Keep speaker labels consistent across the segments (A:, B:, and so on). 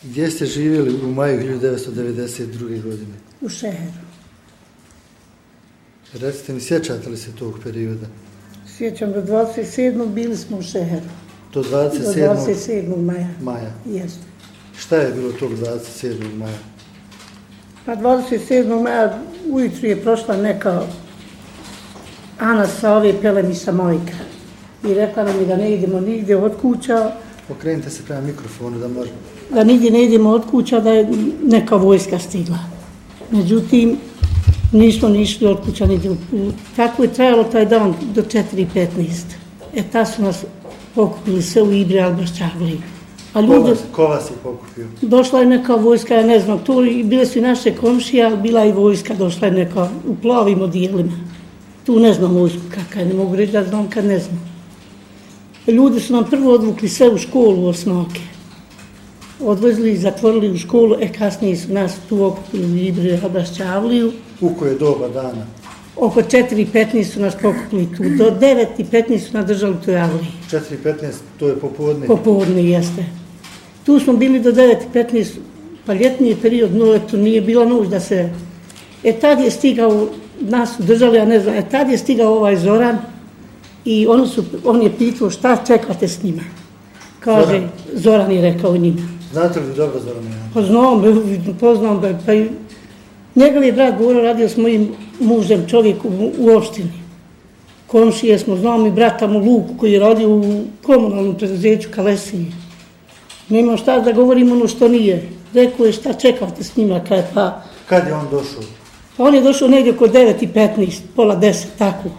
A: Gdje ste živjeli u maju 1992. godine?
B: U Šeheru.
A: Recite mi, sjećate li se tog perioda?
B: Sjećam do 27. bili smo u Šeheru.
A: Do
B: Do 27. maja. Jeste.
A: Šta je bilo tog 27. maja?
B: Pa 27. maja ujutru je prošla neka Ana sa ove Pelemiša Mojka i rekla nam je da ne idemo nigdje od kuća.
A: Okrenite se prema mikrofonu da možemo.
B: Da nigdje ne idemo od kuća, da je neka vojska stigla. Međutim, nismo ni išli od kuća nigdje. Tako je trajalo taj dan do 4:15. Tad su nas pokupili sve u Ibri Albašćavliji.
A: Ko vas je pokupio?
B: Došla je neka vojska, ja ne znam, bile su i naše komšije, ali bila i vojska, došla je neka u plavim odijelima. Tu ne znam vojsku kakva je, ne mogu reći da znam kad ne znam. Ljudi su nam prvo odvukli sve u školu u Osnoke. Odvezli i zatvorili u školu, kasnije su nas tu okupili u Ibri Albašćavliju.
A: U koje doba dana?
B: Oko 4:15 su nas pokupili tu, do 9:15 su nas držali u toj avliji.
A: 4:15, to je popodne?
B: Popodne, jeste. Tu smo bili do 9:15, pa ljetni je period, to nije bila noć da se... Tad je stigao, nas su držali, ja ne znam, tad je stigao ovaj Zoran i on je pitao šta čekate s njima. Kaže, Zoran je rekao njima.
A: Znate li dobro Zorana?
B: Pa znam, poznam ga, pa i njegov je brat govorio, radio s mojim mužem, čovjek u opštini. Komšije smo, znam i brata mu Luku koji je radio u komunalnom preduzeću Kalesiji. Nema šta da govorim ono što nije. Rekao je šta čekate s njima, pa...
A: Kad je on došao?
B: Pa on je došao negdje oko 9:15, pola 10, tako.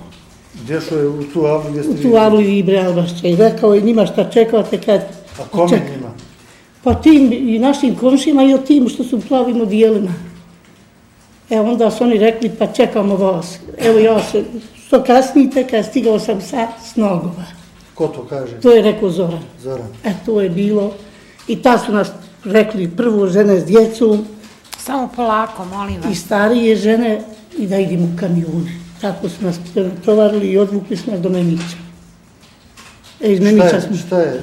A: Došao je u tu avlu gdje ste
B: vidjeli? U tu avlu Ibri Albašće i rekao je njima šta čekate kad...
A: A kome njima?
B: Pa tim i našim komšima i o tim što su u plavim odijelima. Onda su oni rekli pa čekamo vas. Evo ja se, što kasnite kad stigao sam sa Snogova.
A: Ko to kaže?
B: To je rekao Zoran.
A: Zoran.
B: To je bilo. I ta su nas rekli prvo žene s djecom.
C: Samo polako, molim vas.
B: I starije žene i da idemo u kamione. Tako su nas tovarili i odvukli su nas do Memića. Iz Memića smo...
A: Šta je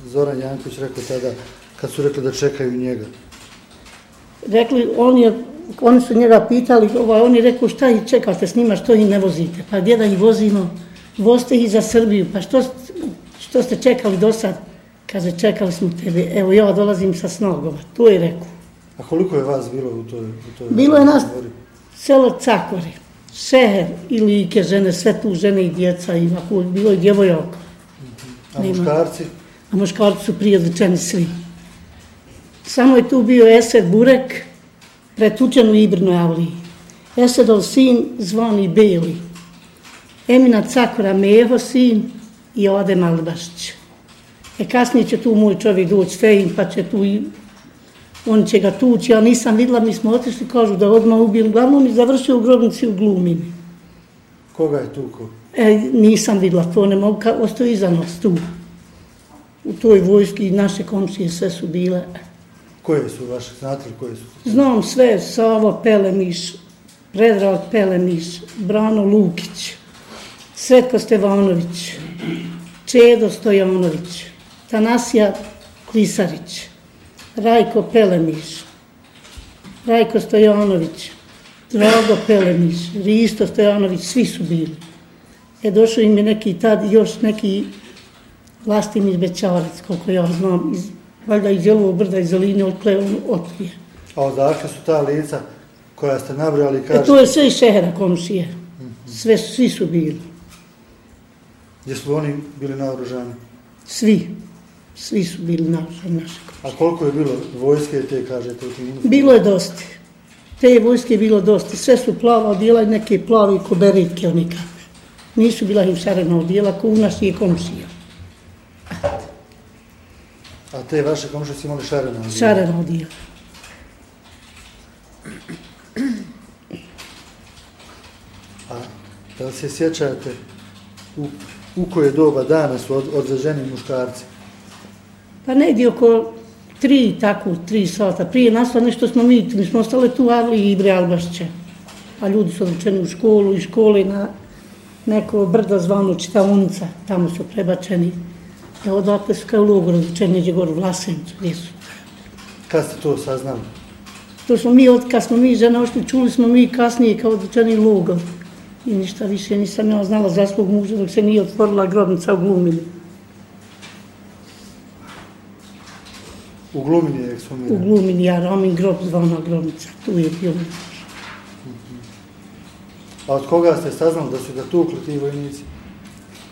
A: Zoran Janković rekao tada kad su rekli da čekaju njega?
B: Rekli, oni su njega pitali, on je rekao šta ih čekate s njima, što ih ne vozite? Pa gdje da ih vozimo? Vozite ih za Srbiju, pa što ste čekali do sad? Kaže, čekali smo tebe, evo ja dolazim sa Snogova, to je rekao.
A: A koliko je vas bilo u toj
B: bilo je nas selo Cakori, Šeher i Like žene, sve tu žene i djeca, i bilo je djevojaka.
A: A muškarci?
B: A muškarci su prije odličeni svi. Samo je tu bio Esed Burek, pretučen u Ibrinoj avliji. Esedov sin zvani Beli. Emina Cakora Meho sin i Adem Albašć. Kasnije će tu moj čovjek doći Fejin, pa će tu i on će ga tući, ja nisam vidjela, mi smo otišli, kažu da odmah ubijeli. Uglavnom je završio u grobnici u Glumini.
A: Koga je tuko?
B: Nisam vidjela, to ne mogu, ostao iza nas tu. U toj vojski naše komšije sve su bile.
A: Koje su vaše, znate li koje su?
B: Znam sve, Savo Pelemiš, Predrag Pelemiš, Brano Lukić, Svetko Stevanović, Čedo Stojanović, Tanasija Klisarić, Rajko Pelemiš, Rajko Stojanović, Drago Pelemiš, Risto Stojanović, svi su bili. Došao im je neki tad, još neki Vlastimir Bećarac, koliko ja znam, valjda iz Jelovog brda, iz Zeline, otprije.
A: A odakle su ta lica koja ste nabrojali, kažete?
B: To je sve iz Šehera komšije. Svi su bili.
A: Gdje su oni bili naoružani?
B: Svi su bili naoružani naše komšije.
A: A koliko je bilo vojske te, kažete, u tim uniformama?
B: Bilo je dosta. Te vojske je bilo dosta. Sve su plava odijela i neke plavi koberitke oni kakve. Nisu bila im šarena odijela, ko u naših komšija.
A: A te vaše komšije su imali šarena odijela?
B: Šarena odijela.
A: A da li se sjećate u koje doba dana su odveženi muškarci?
B: Pa negdje oko 3 sata. Prije nastalo nešto smo mi smo ostali tu u avli i Ibri Albašće. A ljudi su odlučeni u školu i škole na neko brdo zvano Čitavunica. Tamo su prebačeni. Odatle su kao u logoru odlučeni, neđe gore u Vlasenicu, gdje su.
A: Kad ste to saznali?
B: To smo kad smo mi žene ošli, čuli smo mi kasnije kao odlučeni logor. I ništa više nisam ja znala za svog muža dok se nije otvorila grobnica u Glumini.
A: U Glumini je ekshumiran?
B: U Glumini, ja Romin grob zvana grobnica, tu je bio.
A: A od koga ste saznali da su ga tukli ti vojnici?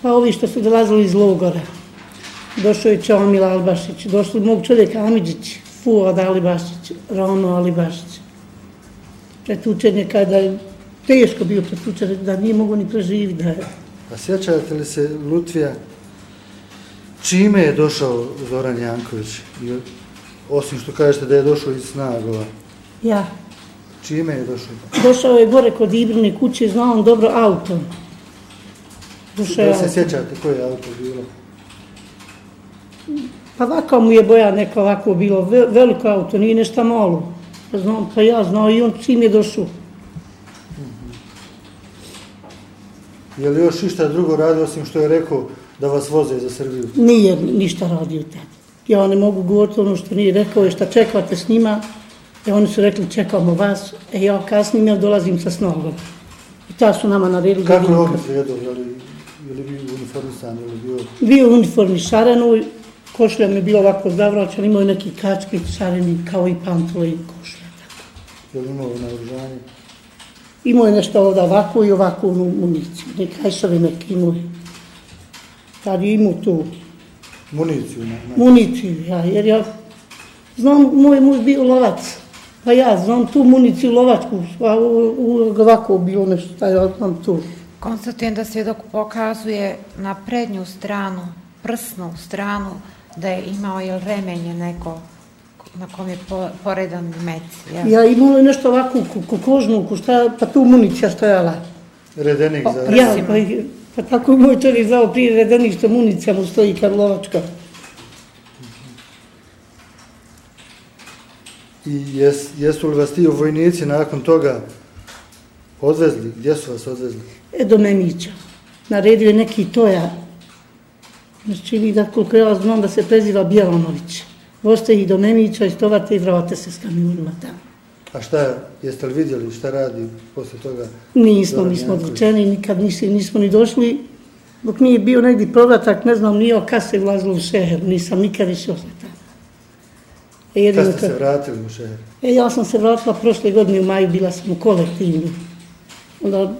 B: Pa ovi što su dolazili iz logora. Došao je Čomil Albašić, došli mog čovjeka Amidžić, Fuad Alibašić, Rono Alibašić. Pretučen je kada je teško bio pretučen, da nije mogo ni preživiti.
A: A sjećate li se Lutvija, čime je došao Zoran Janković? Osim što kažete da je došao iz Snagova.
B: Ja.
A: Čime je došao?
B: Došao je gore kod Ibrine kuće, znao on dobro auto.
A: Da se sjećate koje je auto bilo?
B: Pa ovako mu je boja neka ovako bilo, veliko auto, nije nešto malo. Pa ja znao i on čim je došao.
A: Je li još išta drugo radio osim što je rekao da vas voze za Srbiju?
B: Nije ništa radio tad. Ja ne mogu govoriti ono što nije rekao i šta čekate s njima. Oni su rekli čekamo vas, ja kasnije ja dolazim sa snogom. I ta su nama naredili.
A: Kako je on izgledao? Je li bio uniformisan?
B: Bio u uniformi šarenoj, košlja mi je bilo ovako zavraćan, imao je neki kački šareni kao i pantole i košlja.
A: Je li imao naoružanje?
B: Imao je nešto ovdje ovako i ovako municiju, nekajšave neki imao je. Tad je imao tu.
A: Municiju?
B: Municiju, ja, jer ja znam, moj muž bio lovac, pa ja znam tu municiju lovačku, a ovako bilo nešto, ja znam tu.
C: Konstatujem da svjedok pokazuje na prednju stranu, prsnu stranu, da je imao remenje neko na kom je poredan mec.
B: Ja imao je nešto ovako kožnu, pa tu municija stojala.
A: Redenik za...
B: Ja, pa tako je moj čovjek zvao prije redenik što municija mu stoji Karlovačka.
A: I jesu li vas ti vojnici nakon toga odvezli? Gdje su vas odvezli?
B: Do Memića. Naredio je neki toja. Znači vi da koliko ja znam da se preziva Bjelanović. Voste ih do Memića, istovate i vrate se s kamionima tamo.
A: A šta, jeste li vidjeli šta radi posle toga?
B: Nismo odlučeni, nikad nismo ni došli. Dok nije bio negdje povratak, ne znam, nije kad se ulazilo u Šeher, nisam nikad išao se tamo.
A: Kad ste se vratili u Šeher?
B: Ja sam se vratila prošle godine u maju, bila sam u kolektivnu. Onda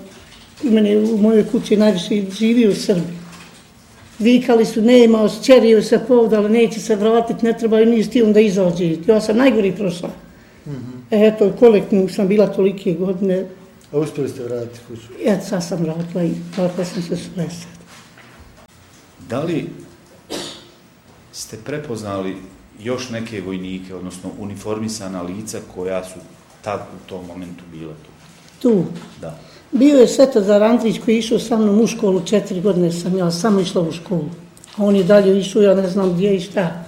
B: u mojoj kući najviše živio u Srbiji. Vikali su, nema, osčerio se povdali, neće se vratiti, ne treba i nije stilom da izađe. Ja sam najgori prošla. Eto, kolektivnu sam bila tolike godine.
A: A uspjeli ste vratiti kuću?
B: Eto, sad sam vratila i vratila sam se s Lesad.
D: Da li ste prepoznali još neke vojnike, odnosno uniformisana lica koja su tad u tom momentu bila tu?
B: Tu?
D: Da.
B: Bio je Svetozar Andrić koji je išao sa mnom u školu, 4 godine sam ja samo išla u školu. A on je dalje išao, ja ne znam gdje i šta.